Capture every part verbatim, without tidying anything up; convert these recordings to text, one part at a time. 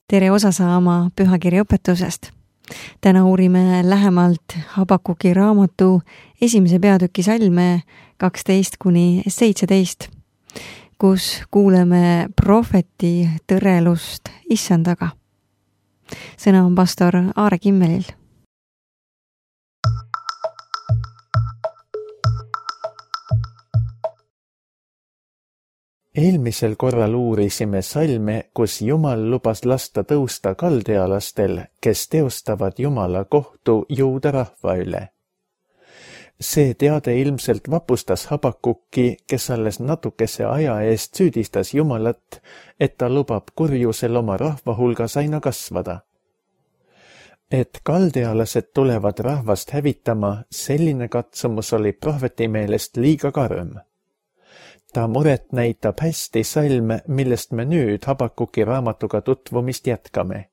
tere osa saama pühakirja õpetusest. Täna uurime lähemalt Habakuki raamatu esimese peatüki salme kaksteist kuni seitseteist, kus kuuleme prohveti tõrelust issandaga. Sõna on pastor Aare Kimmelil. Eelmisel korral uurisime salme, kus Jumal lubas lasta tõusta kaldealastel, kes teostavad Jumala kohtu Juuda rahva üle. See teade ilmselt vapustas Habakukki, kes alles natukese aja eest süüdistas Jumalat, et ta lubab kurjusel oma rahva hulgas aina kasvada. Et kaldealased tulevad rahvast hävitama, selline katsumus oli prohveti meelest liiga karm. Ta muret näitab hästi salm, millest me nüüd Habakuki raamatuga tutvumist jätkame.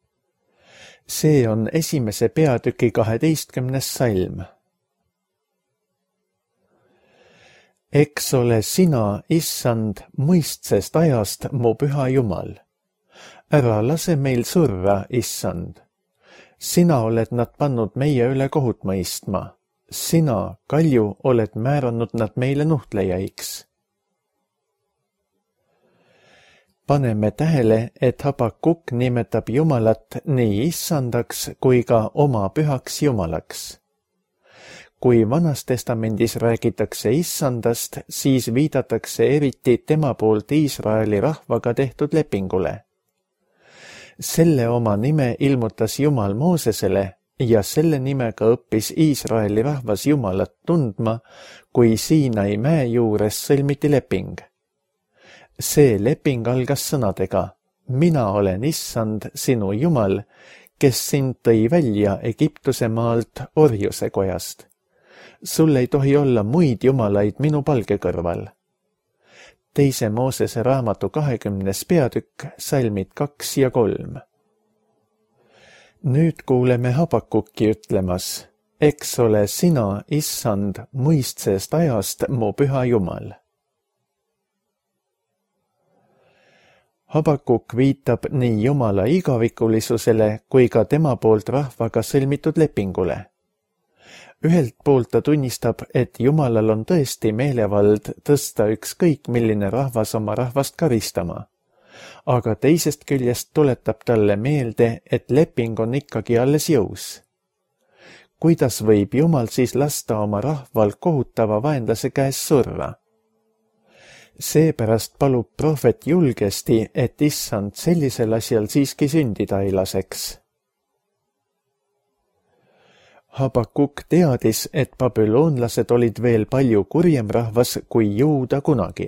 See on esimese peatüki kaheteistkümnes salm. Eks ole sina, issand, mõistsest ajast mu püha Jumal. Ära lase meil surra, issand. Sina oled nad pannud meie üle kohut mõistma. Sina, kalju, oled määranud nad meile nuhtlejaiks. Paneme tähele, et Habakuk nimetab Jumalat nii issandaks kui ka oma pühaks Jumalaks. Kui Vanas Testamendis räägitakse issandast, siis viidatakse eriti tema poolt Iisraeli rahvaga tehtud lepingule. Selle oma nime ilmutas Jumal Moosesele ja selle nimega õppis Iisraeli rahvas Jumalat tundma, kui Siinai mäe juures sõlmiti leping. See leping algas sõnadega, mina olen issand, sinu Jumal, kes sind tõi välja Egiptuse maalt orjuse kojast. Sul ei tohi olla muid jumalaid minu palge kõrval. Teise Moosese raamatu kahekümnes peatükk, salmid kaks ja kolm. Nüüd kuuleme Habakukki ütlemas, eks ole sina, issand, mõistsest ajast mu püha Jumal. Habakuk viitab nii Jumala igavikulisusele kui ka tema poolt rahvaga sõlmitud lepingule. Ühelt poolt ta tunnistab, et Jumalal on tõesti meelevald tõsta ükskõik milline rahvas oma rahvast karistama. Aga teisest küljest tuletab talle meelde, et leping on ikkagi alles jõus. Kuidas võib Jumal siis lasta oma rahval kohutava vaenlase käes surra? Seepärast palub prohvet julgesti, et issand sellisel asjal siiski sündida ei laseks. Habakuk teadis, et babüloonlased olid veel palju kurjem rahvas kui Juuda kunagi.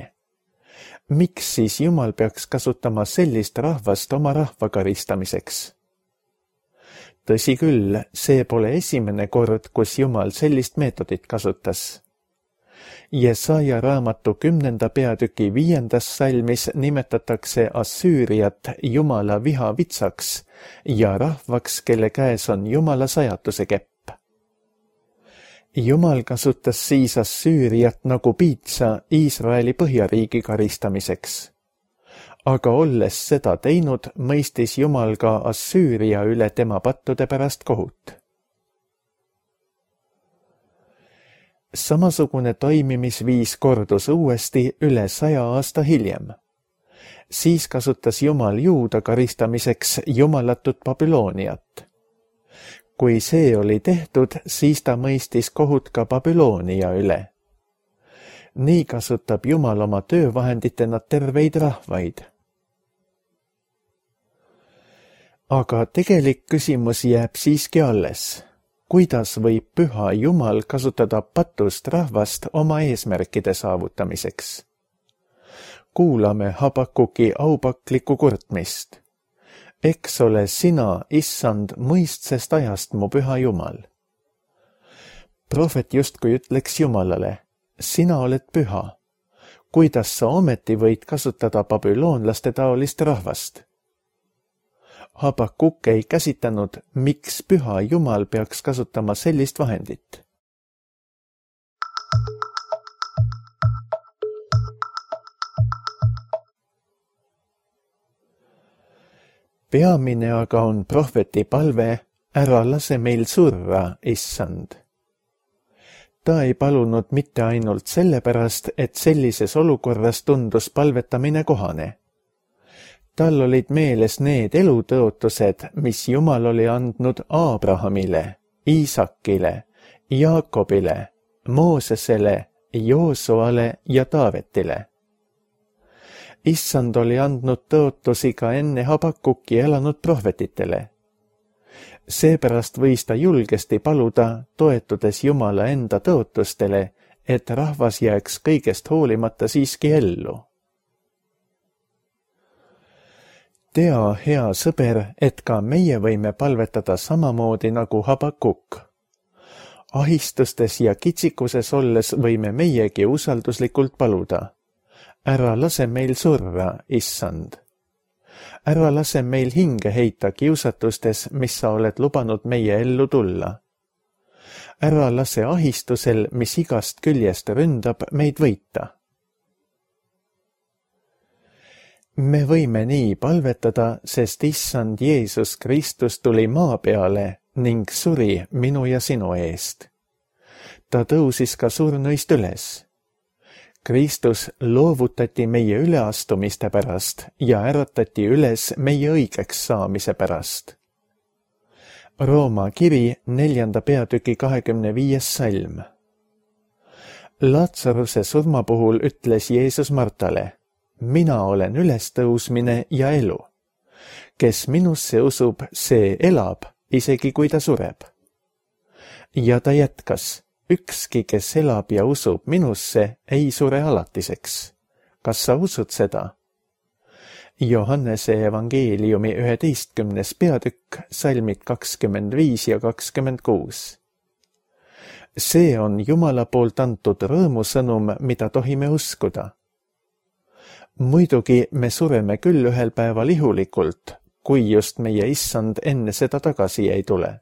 Miks siis Jumal peaks kasutama sellist rahvast oma rahva karistamiseks? Tõsi küll, see pole esimene kord, kus Jumal sellist meetodit kasutas. Jesaja raamatu kümnenda peatüki viiendas salmis nimetatakse Assüüriat Jumala vihavitsaks ja rahvaks, kelle käes on Jumala sajatuse kepp. Jumal kasutas siis Assüüriat nagu piitsa Iisraeli põhjariigi karistamiseks. Aga olles seda teinud, mõistis Jumal ka Assüüria üle tema pattude pärast kohut. Samasugune toimimisviis kordus uuesti üle saja aasta hiljem. Siis kasutas Jumal Juuda karistamiseks jumalatut Babülooniat. Kui see oli tehtud, siis ta mõistis kohut ka Babüloonia üle. Nii kasutab Jumal oma töövahenditena terveid rahvaid. Aga tegelik küsimus jääb siiski alles. Kuidas võib püha Jumal kasutada patust rahvast oma eesmärkide saavutamiseks? Kuulame Habakuki aupaklikku kurtmist. Eks ole sina, issand, mõistsest ajast mu püha Jumal. Prohvet justkui ütleks Jumalale, sina oled püha. Kuidas sa ometi võid kasutada babüloonlaste taolist rahvast? Habakuk ei käsitanud, miks püha Jumal peaks kasutama sellist vahendit. peamine aga on prohveti palve, ära lase meil surra, issand. Ta ei palunud mitte ainult sellepärast, et sellises olukorras tundus palvetamine kohane. Tal olid meeles need elutõotused, mis Jumal oli andnud Aabrahamile, Iisakile, Jaakobile, Moosesele, Joosuale ja Taavetile. Issand oli andnud tõotusi ka enne Habakuki elanud prohvetitele. Seepärast võis ta julgesti paluda, toetudes Jumala enda tõotustele, et rahvas jääks kõigest hoolimata siiski ellu. Tea, hea sõber, et ka meie võime palvetada samamoodi nagu Habakuk. Ahistustes ja kitsikuses olles võime meiegi usalduslikult paluda. Ära lase meil surra, issand. Ära lase meil hinge heita kiusatustes, mis sa oled lubanud meie ellu tulla. Ära lase ahistusel, mis igast küljest ründab, meid võita. Me võime nii palvetada, sest issand Jeesus Kristus tuli maa peale ning suri minu ja sinu eest. Ta tõusis ka surnuist üles. Kristus loovutati meie üleastumiste pärast ja äratati üles meie õigeks saamise pärast. Rooma kiri neljanda peatüki kahekümne viies salm. Laatsaruse surma puhul ütles Jeesus Martale, mina olen ülestõusmine ja elu. Kes minusse usub, see elab, isegi kui ta sureb. Ja ta jätkas, ükski, kes elab ja usub minusse, ei sure alatiseks. Kas sa usud seda? Johannese evangeeliumi üheteistkümnes peatükk, salmid kakskümmend viis ja kakskümmend kuus. See on Jumala poolt antud rõõmusõnum, mida tohime uskuda. Muidugi me sureme küll ühel päeval ihulikult, kui just meie issand enne seda tagasi ei tule.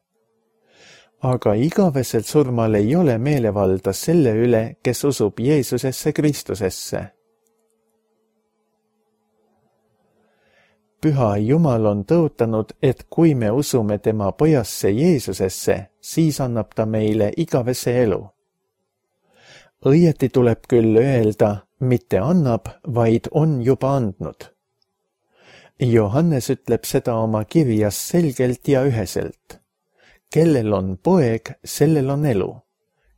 Aga igaveselt surmal ei ole meelevalda selle üle, kes usub Jeesusesse Kristusesse. Püha Jumal on tõotanud, et kui me usume tema pojasse Jeesusesse, siis annab ta meile igavese elu. Õieti tuleb küll öelda, mitte annab, vaid on juba andnud. Johannes ütleb seda oma kirjas selgelt ja üheselt. Kellel on poeg, sellel on elu.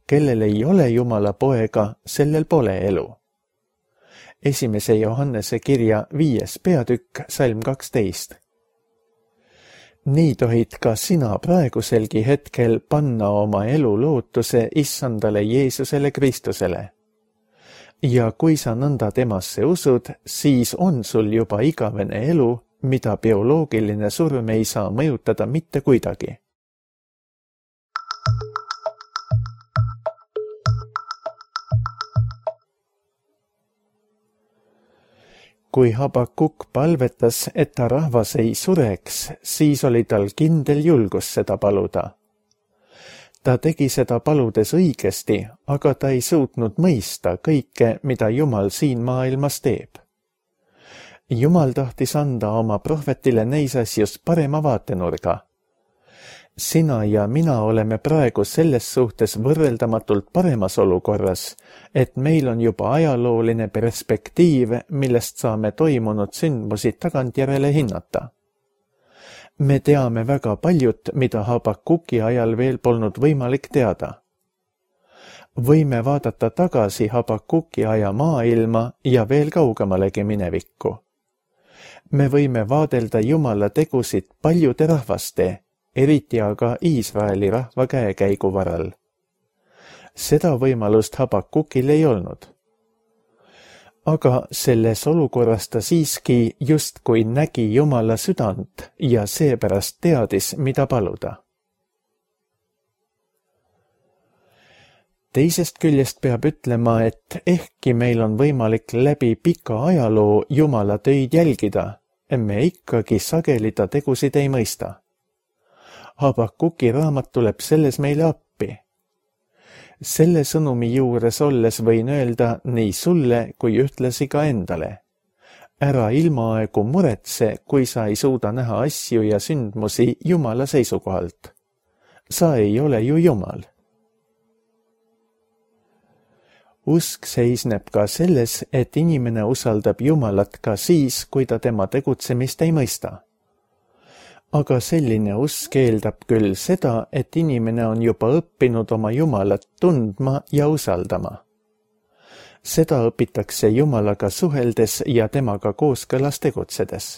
Kellel ei ole Jumala poega, sellel pole elu. Esimese Johannese kirja viies peatükk, salm kaksteist. Nii tohid ka sina praeguselgi hetkel panna oma elu lootuse issandale Jeesusele Kristusele. Ja kui sa nõnda temasse usud, siis on sul juba igavene elu, mida bioloogiline surm ei saa mõjutada mitte kuidagi. Kui Habakuk palvetas, et ta rahvas ei sureks, siis oli tal kindel julgus seda paluda. Ta tegi seda paludes õigesti, aga ta ei suutnud mõista kõike, mida Jumal siin maailmas teeb. Jumal tahtis anda oma prohvetile neis asjus parema vaatenurga. Sina ja mina oleme praegu selles suhtes võrreldamatult paremas olukorras, et meil on juba ajalooline perspektiiv, millest saame toimunud sündmusi tagantjärele hinnata. Me teame väga paljut, mida Habakuki ajal veel polnud võimalik teada. Võime vaadata tagasi Habakuki aja maailma ja veel kaugemalegi minevikku. Me võime vaadelda Jumala tegusid paljude rahvaste, eriti aga Iisraeli rahva käekäigu varal. Seda võimalust Habakukil ei olnud. Aga selles olukorras ta siiski justkui nägi Jumala südant ja seepärast teadis, mida paluda. Teisest küljest peab ütlema, et ehkki meil on võimalik läbi pika ajaloo Jumala töid jälgida, me ikkagi sageli ta tegusid ei mõista. Habakuki raamat tuleb selles meile appi. Selle sõnumi juures olles võin öelda nii sulle kui ühtlasi ka endale. Ära ilmaaegu muretse, kui sa ei suuda näha asju ja sündmusi Jumala seisukohalt. Sa ei ole ju Jumal. Usk seisneb ka selles, et inimene usaldab Jumalat ka siis, kui ta tema tegutsemist ei mõista. Aga selline usk eeldab küll seda, et inimene on juba õppinud oma Jumalat tundma ja usaldama. Seda õpitakse Jumalaga suheldes ja temaga kooskõlas tegutsedes.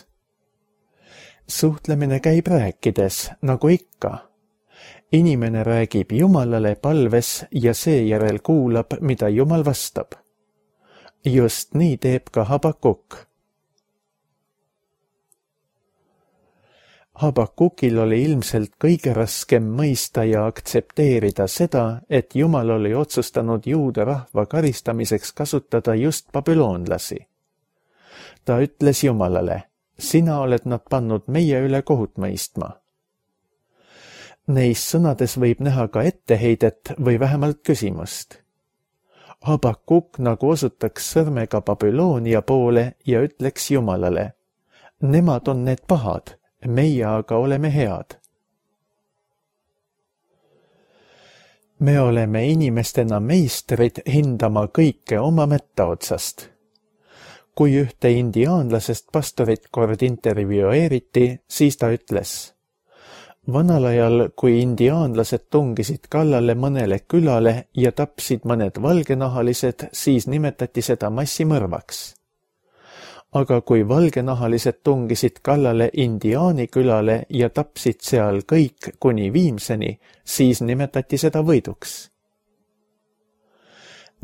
Suhtlemine käib rääkides, nagu ikka. Inimene räägib Jumalale palves ja seejärel kuulab, mida Jumal vastab. Just nii teeb ka Habakuk. Habakukil oli ilmselt kõige raskem mõista ja aktsepteerida seda, et Jumal oli otsustanud juuda rahva karistamiseks kasutada just babüloonlasi. Ta ütles Jumalale, sina oled nad pannud meie üle kohut mõistma. Neis sõnades võib näha ka etteheidet või vähemalt küsimust. Habakuk nagu osutaks sõrmega Babyloonia poole ja ütleks Jumalale, nemad on need pahad, meie aga oleme head. Me oleme inimestena meistrid hindama kõike oma mätta otsast. Kui ühte indiaanlasest pastorit kord intervjueeriti, siis ta ütles, vanal ajal, kui indiaanlased tungisid kallale mõnele külale ja tapsid mõned valgenahalised, siis nimetati seda massimõrvaks. Aga kui valgenahalised tungisid kallale indiaani külale ja tapsid seal kõik kuni viimseni, siis nimetati seda võiduks.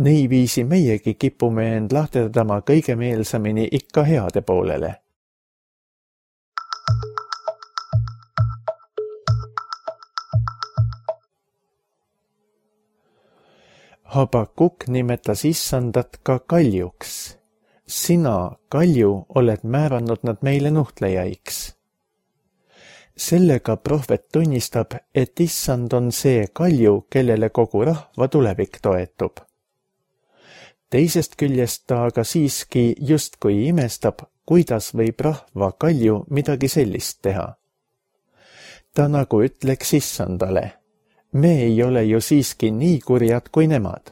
Niiviisi meiegi kipume end lahterdama kõige meelsamini ikka heade poolele. Habakuk nimetas issandat ka kaljuks. Sina, kalju, oled määranud nad meile nuhtlejaiks. Sellega prohvet tunnistab, et issand on see kalju, kellele kogu rahva tulevik toetub. Teisest küljest ta aga siiski justkui imestab, kuidas võib rahva kalju midagi sellist teha. Ta nagu ütleks issandale, me ei ole ju siiski nii kurjad kui nemad.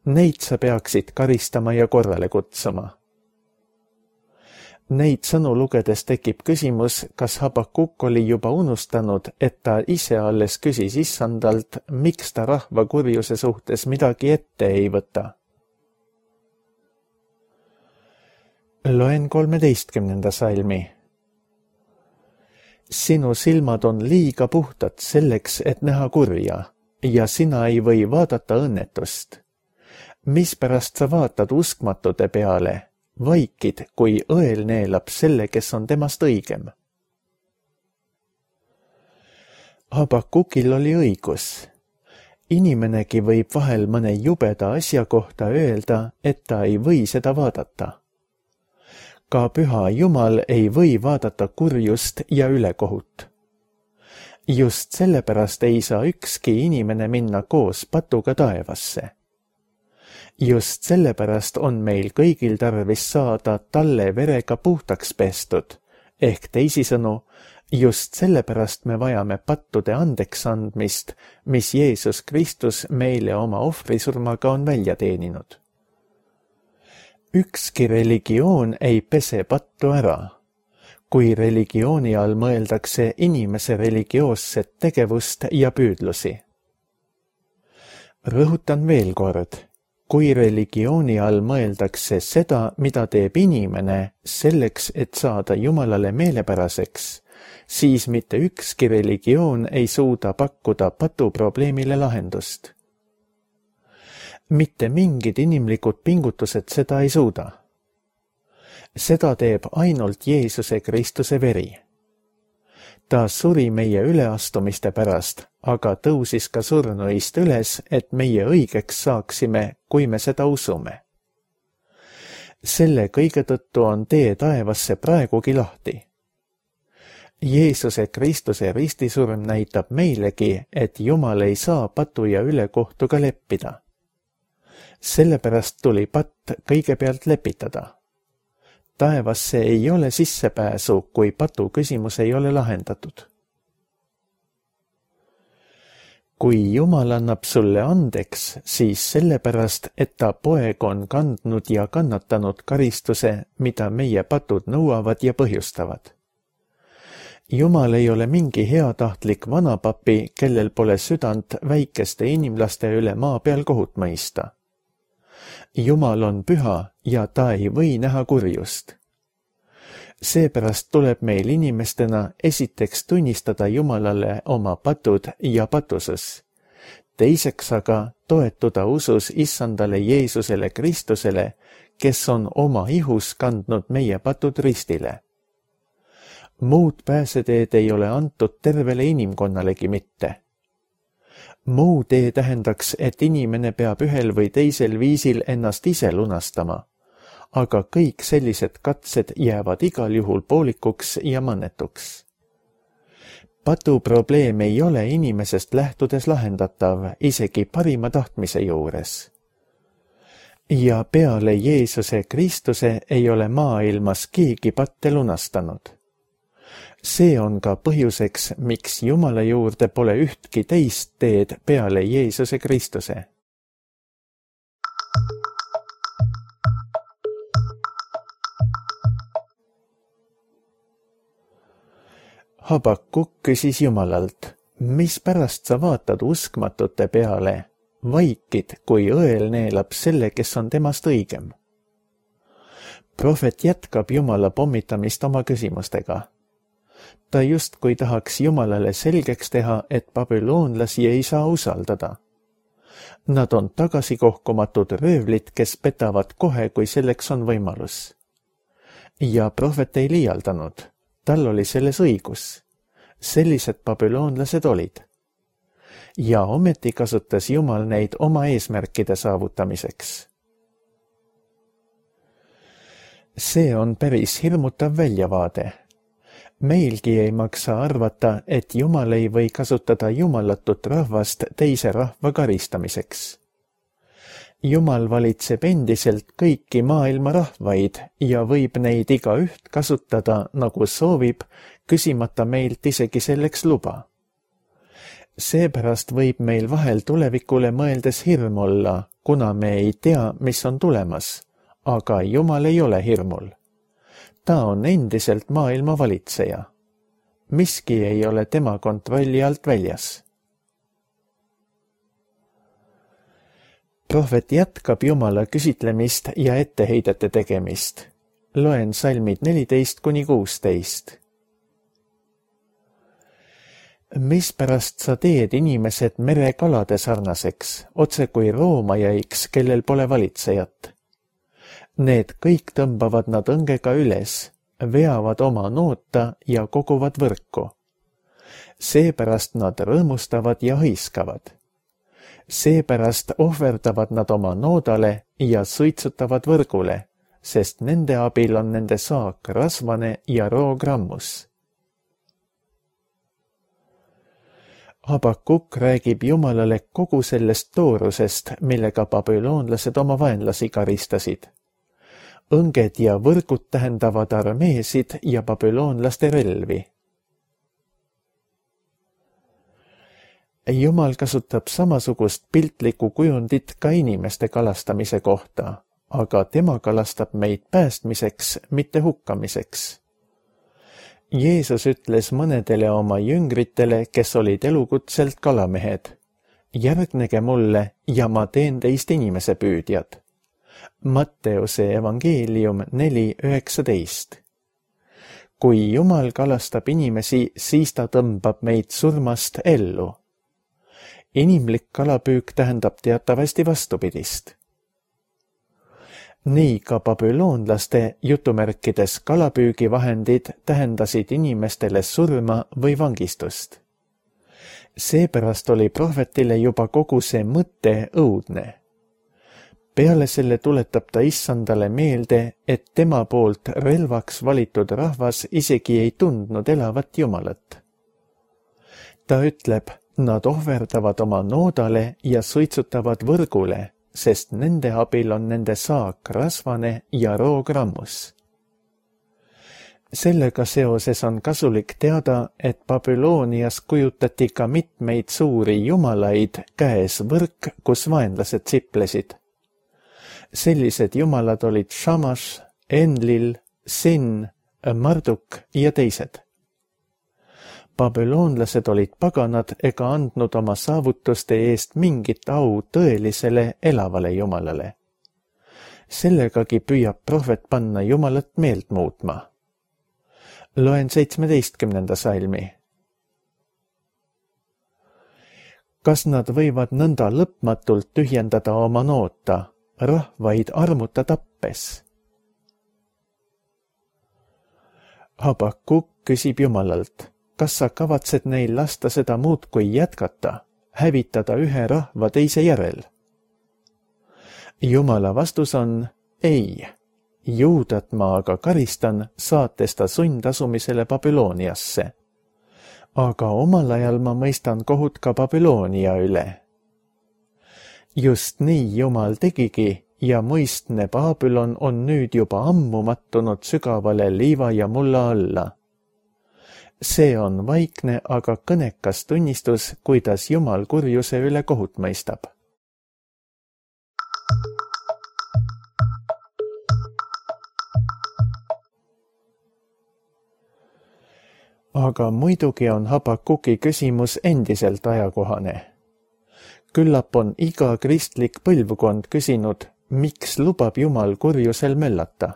Neid sa peaksid karistama ja korrale kutsuma. Neid sõnu lugedes tekib küsimus, kas Habakuk oli juba unustanud, et ta ise alles küsis issandalt, miks ta rahva kurjuse suhtes midagi ette ei võta. Loen kolmeteistkümnenda salmi. Sinu silmad on liiga puhtad selleks, et näha kurja, ja sina ei või vaadata õnnetust. Mispärast sa vaatad uskmatute peale, vaikid, kui õel neelab selle, kes on temast õigem? Habakukil oli õigus. Inimenegi võib vahel mõne jubeda asja kohta öelda, et ta ei või seda vaadata. Ka püha Jumal ei või vaadata kurjust ja ülekohut. Just sellepärast ei saa ükski inimene minna koos patuga taevasse. Just sellepärast on meil kõigil tarvis saada talle verega puhtaks pestud, ehk teisisõnu, just sellepärast me vajame pattude andeks andmist, mis Jeesus Kristus meile oma ohvrisurmaga on välja teeninud. Ükski religioon ei pese pattu ära. Kui religiooni all mõeldakse inimese religioosset tegevust ja püüdlusi. Rõhutan veel kord. Kui religiooni all mõeldakse seda, mida teeb inimene selleks, et saada Jumalale meelepäraseks, siis mitte ükski religioon ei suuda pakkuda patuprobleemile lahendust. Mitte mingid inimlikud pingutused seda ei suuda. Seda teeb ainult Jeesuse Kristuse veri. Ta suri meie üleastumiste pärast, aga tõusis ka surnuist üles, et meie õigeks saaksime, kui me seda usume. Selle kõige tõttu on tee taevasse praegugi lahti. Jeesuse Kristuse ristisurm näitab meilegi, et Jumal ei saa patu ja ülekohtuga leppida. Sellepärast tuli patt kõigepealt lepitada. taevasse ei ole sissepääsu, kui patu küsimus ei ole lahendatud. Kui Jumal annab sulle andeks, siis sellepärast, et ta poeg on kandnud ja kannatanud karistuse, mida meie patud nõuavad ja põhjustavad. Jumal ei ole mingi heatahtlik vanapapi, kellel pole südant väikeste inimlaste üle maa peal kohut mõista. Jumal on püha ja ta ei või näha kurjust. Seepärast tuleb meil inimestena esiteks tunnistada Jumalale oma patud ja patusus. Teiseks aga toetuda usus Issandale Jeesusele Kristusele, kes on oma ihus kandnud meie patud ristile. Muud pääseteed ei ole antud tervele inimkonnalegi mitte. Muu tee tähendaks, et inimene peab ühel või teisel viisil ennast ise lunastama, aga kõik sellised katsed jäävad igal juhul poolikuks ja mannetuks. Patu probleem ei ole inimesest lähtudes lahendatav isegi parima tahtmise juures. Ja peale Jeesuse Kristuse ei ole maailmas keegi patte lunastanud. See on ka põhjuseks, miks Jumala juurde pole ühtki teist teed peale Jeesuse Kristuse. Habakuk küsis Jumalalt, mis pärast sa vaatad uskmatute peale, vaikid, kui õel neelab selle, kes on temast õigem. Prohvet jätkab Jumala pommitamist oma küsimustega. Ta justkui tahaks Jumalale selgeks teha, et babüloonlasi ei saa usaldada. Nad on tagasikohkumatud röövlid, kes petavad kohe, kui selleks on võimalus. Ja prohvet ei liialdanud. Tal oli selles õigus. Sellised babüloonlased olid. Ja ometi kasutas Jumal neid oma eesmärkide saavutamiseks. See on päris hirmutav väljavaade. Meilgi ei maksa arvata, et Jumal ei või kasutada jumalatut rahvast teise rahva karistamiseks. Jumal valitseb endiselt kõiki maailma rahvaid ja võib neid igaüht kasutada, nagu soovib, küsimata meilt isegi selleks luba. Seepärast võib meil vahel tulevikule mõeldes hirm olla, kuna me ei tea, mis on tulemas, aga Jumal ei ole hirmul. Ta on endiselt maailma valitseja. Miski ei ole tema kontrolli alt väljas. Prohvet jätkab Jumala küsitlemist ja etteheidete tegemist. Loen salmid neliteist kuni kuusteist. Mispärast sa teed inimesed merekalade sarnaseks, otse kui roomajaiks, kellel pole valitsejat? Need kõik tõmbavad nad õngega üles, veavad oma noota ja koguvad võrku. Seepärast nad rõõmustavad ja hõiskavad. Seepärast ohverdavad nad oma noodale ja suitsutavad võrgule, sest nende abil on nende saak rasvane ja roogrammus. Habakuk räägib Jumalale kogu sellest toorusest, millega babüloonlased oma vaenlasi karistasid. Õnged ja võrgud tähendavad armeesid ja babüloonlaste relvi. Jumal kasutab samasugust piltlikku kujundit ka inimeste kalastamise kohta, aga tema kalastab meid päästmiseks, mitte hukkamiseks. Jeesus ütles mõnedele oma jüngritele, kes olid elukutselt kalamehed, järgnege mulle ja ma teen teist inimese püüdjad. Matteuse evangeelium neli üheksateist. Kui Jumal kalastab inimesi, siis ta tõmbab meid surmast ellu. Inimlik kalapüük tähendab teatavasti vastupidist. Nii ka babüloonlaste jutumärkides kalapüügivahendid tähendasid inimestele surma või vangistust. Seepärast oli prohvetile juba kogu see mõte õudne. Peale selle tuletab ta Issandale meelde, et tema poolt relvaks valitud rahvas isegi ei tundnud elavat Jumalat. Ta ütleb, nad ohverdavad oma noodale ja suitsutavad võrgule, sest nende abil on nende saak rasvane ja roogrammus. Sellega seoses on kasulik teada, et Babylonias kujutati ka mitmeid suuri jumalaid, käes võrk, kus vaenlased siplesid. Sellised jumalad olid Shamash, Enlil, Sin, Marduk ja teised. Babylonlased olid paganad ega andnud oma saavutuste eest mingit au tõelisele elavale jumalale. Sellegagi püüab prohvet panna jumalat meelt muutma. Loen seitsmeteistkümnenda salmi. Kas nad võivad nõnda lõpmatult tühjendada oma noota, rahvaid armuta tappes? Habakuk küsib Jumalalt, kas sa kavatsed neil lasta seda muud kui jätkata, hävitada ühe rahva teise järel? Jumala vastus on ei. Juudat ma aga karistan, saates ta sundasumisele Babyloniasse. Aga omal ajal ma mõistan kohut ka Babylonia üle. Just nii Jumal tegigi ja muistne Babylon on nüüd juba ammu mattunud sügavale liiva ja mulla alla. See on vaikne, aga kõnekas tunnistus, kuidas Jumal kurjuse üle kohut mõistab. Aga muidugi on Habakuki küsimus endiselt ajakohane. Küllap on iga kristlik põlvkond küsinud, miks lubab Jumal kurjusel möllata.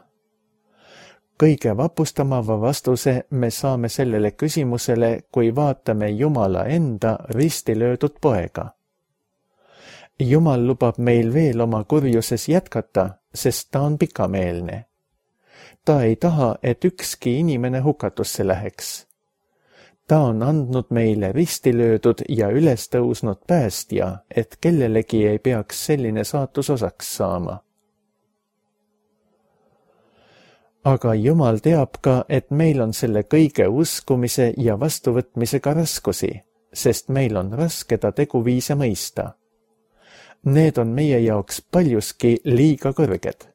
Kõige vapustamava vastuse me saame sellele küsimusele, kui vaatame Jumala enda risti löödud poega. Jumal lubab meil veel oma kurjuses jätkata, sest ta on pikameelne. Ta ei taha, et ükski inimene hukatusse läheks. Ta on andnud meile risti löödud ja üles tõusnud päästja, et kellelegi ei peaks selline saatus osaks saama. Aga Jumal teab ka, et meil on selle kõige uskumise ja vastuvõtmisega raskusi, sest meil on raske ta teguviise mõista. Need on meie jaoks paljuski liiga kõrged.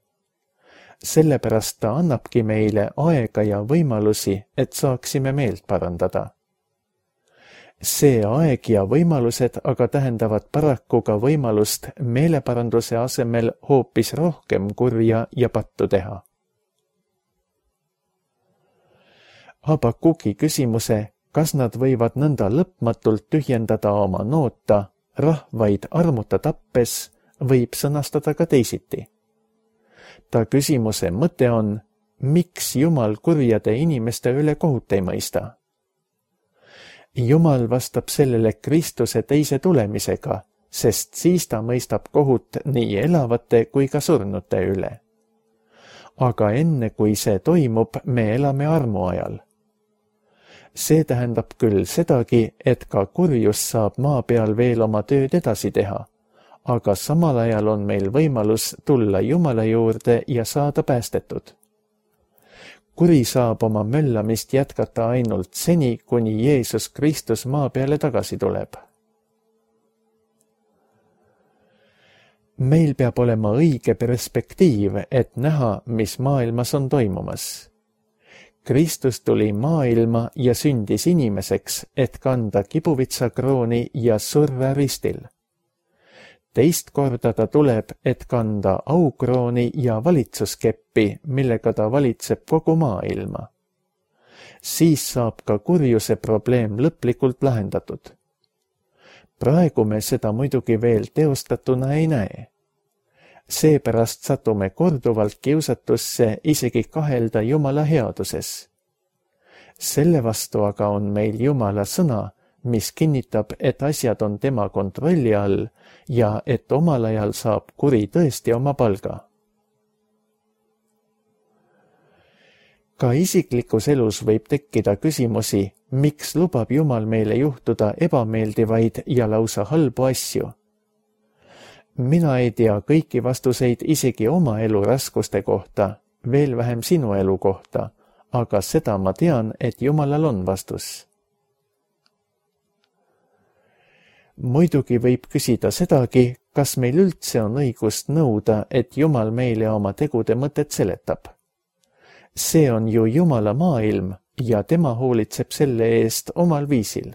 Sellepärast ta annabki meile aega ja võimalusi, et saaksime meelt parandada. See aeg ja võimalused aga tähendavad paraku ka võimalust meeleparanduse asemel hoopis rohkem kurja ja pattu teha. Habakuki küsimuse, kas nad võivad nõnda lõpmatult tühjendada oma noota, rahvaid armuta tappes, võib sõnastada ka teisiti. Ta küsimuse mõte on, miks Jumal kurjade inimeste üle kohut ei mõista? Jumal vastab sellele Kristuse teise tulemisega, sest siis ta mõistab kohut nii elavate kui ka surnute üle. Aga enne kui see toimub, me elame armuajal. See tähendab küll sedagi, et ka kurjus saab maa peal veel oma tööd edasi teha, aga samal ajal on meil võimalus tulla Jumala juurde ja saada päästetud. Kuri saab oma möllamist jätkata ainult seni, kuni Jeesus Kristus maa peale tagasi tuleb. Meil peab olema õige perspektiiv, et näha, mis maailmas on toimumas. Kristus tuli maailma ja sündis inimeseks, et kanda kibuvitsakrooni ja surra ristil. Teist korda ta tuleb, et kanda aukrooni ja valitsuskeppi, millega ta valitseb kogu maailma. Siis saab ka kurjuse probleem lõplikult lahendatud. Praegu me seda muidugi veel teostatuna ei näe. Seepärast satume korduvalt kiusatusse isegi kahelda Jumala headuses. Selle vastu aga on meil Jumala sõna, mis kinnitab, et asjad on tema kontrolli all ja et omal ajal saab kuri tõesti oma palga. Ka isiklikus elus võib tekkida küsimusi, miks lubab Jumal meile juhtuda ebameeldivaid ja lausa halbu asju. Mina ei tea kõiki vastuseid isegi oma elu raskuste kohta, veel vähem sinu elu kohta, aga seda ma tean, et Jumalal on vastus. Muidugi võib küsida sedagi, kas meil üldse on õigust nõuda, et Jumal meile oma tegude mõtet seletab. See on ju Jumala maailm ja tema hoolitseb selle eest omal viisil.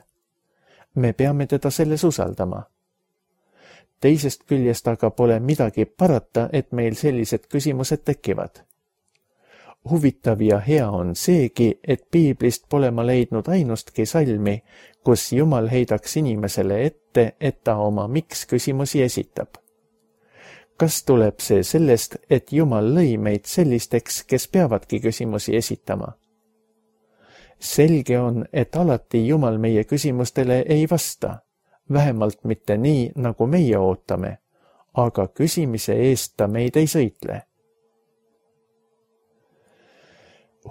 Me peame teda selles usaldama. Teisest küljest aga pole midagi parata, et meil sellised küsimused tekivad. Huvitav ja hea on seegi, et piiblist pole ma leidnud ainustki salmi, kus Jumal heidaks inimesele ette, et ta oma miks küsimusi esitab. Kas tuleb see sellest, et Jumal lõi meid sellisteks, kes peavadki küsimusi esitama? Selge on, et alati Jumal meie küsimustele ei vasta, vähemalt mitte nii, nagu meie ootame, aga küsimise eest ta meid ei sõitle.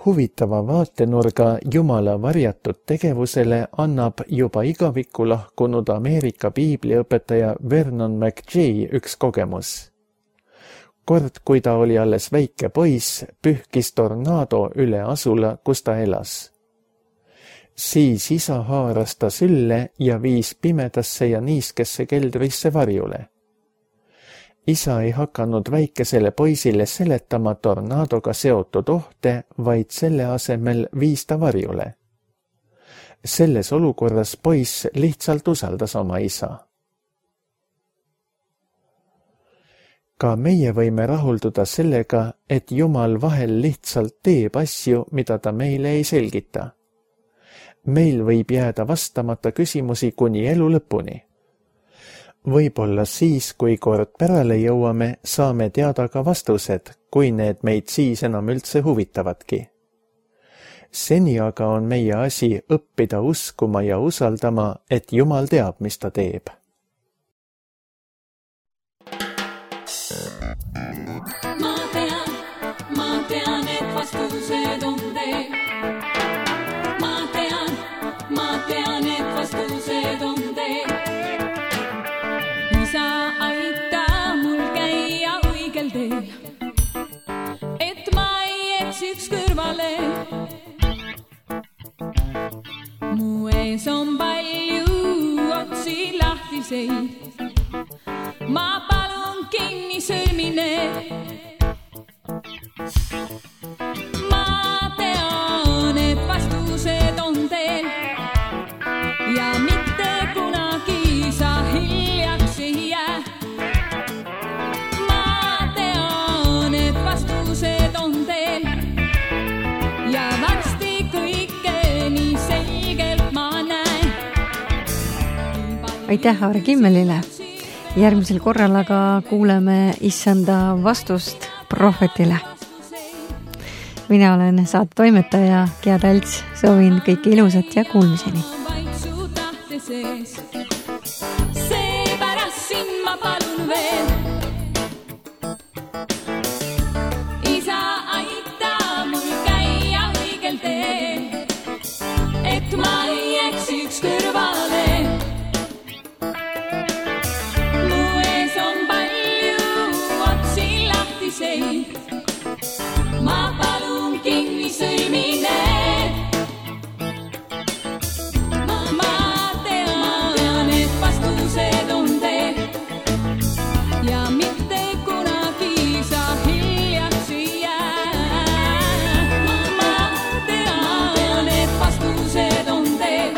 Huvitava vaatenurga Jumala varjatud tegevusele annab juba igavikku lahkunud Ameerika piibliõpetaja Vernon McGee üks kogemus. Kord, kui ta oli alles väike poiss, pühkis tornaado üle asula, kus ta elas. Siis isa haaras ta sülle ja viis pimedasse ja niiskesse keldrisse varjule. Isa ei hakanud väikesele poisile seletama tornaadoga seotud ohte, vaid selle asemel viis ta varjule. Selles olukorras poiss lihtsalt usaldas oma isa. Ka meie võime rahulduda sellega, et Jumal vahel lihtsalt teeb asju, mida ta meile ei selgita. Meil võib jääda vastamata küsimusi kuni elu lõpuni. Võib-olla siis, kui kord pärale jõuame, saame teada ka vastused, kui need meid siis enam üldse huvitavadki. Seni aga on meie asi õppida uskuma ja usaldama, et Jumal teab, mis ta teeb. Ma tean, ma tean, et vastused on teil. Ma tean, ma tean, et vastused on teil. Isa aita mul käia õigel teel, et ma ei eksiks kõrvale. Mu ees on palju otsi lahtiseid, ma palun kinni sõlmine. Ma tean, et vastused on teil ja mitte kunagi sa hiljaks ei jää. Ma tean, et vastused on teil ja varsti kõike nii selgelt ma näen. Aitäh Aare Kimmelile! Järgmisel korral aga kuuleme issanda vastust prohvetile. Mina olen saate toimetaja Gea Talts, soovin kõike ilusat ja kuulmiseni. Seepärast siin ma palun veel. Isa aita mul käia õigel teel, et ma ei eksiks kõrvale. Ma palun kinni sõlmine. Ma tean, et vastused on teil ja mitte kunagi sa hiljaks ei jää. Ma tean, et vastused on teil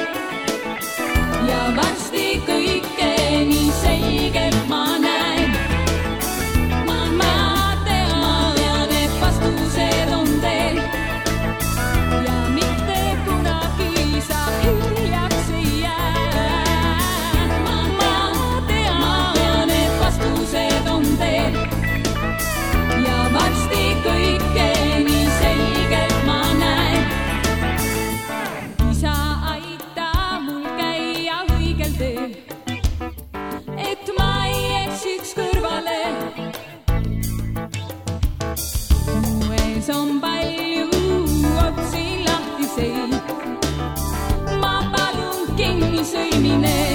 ja varsti kõike nii selgelt ma näen. On palju otsi lahtiseid, ma palun kinni sõlmine.